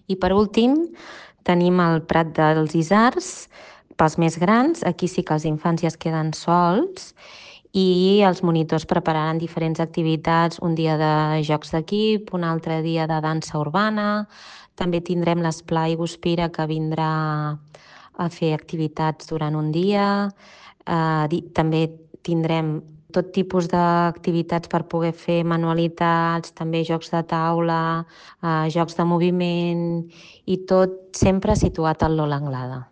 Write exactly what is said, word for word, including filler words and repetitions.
I per últim tenim el Prat dels Isards, pels més grans. Aquí sí que els infants ja es queden sols i els monitors prepararan diferents activitats, un dia de jocs d'equip, un altre dia de dansa urbana. També tindrem l'Esplai Guspira, que vindrà a fer activitats durant un dia. Eh, també tindrem tot tipus d'activitats per poder fer manualitats, també jocs de taula, eh, jocs de moviment i tot sempre situat al Lola Anglada.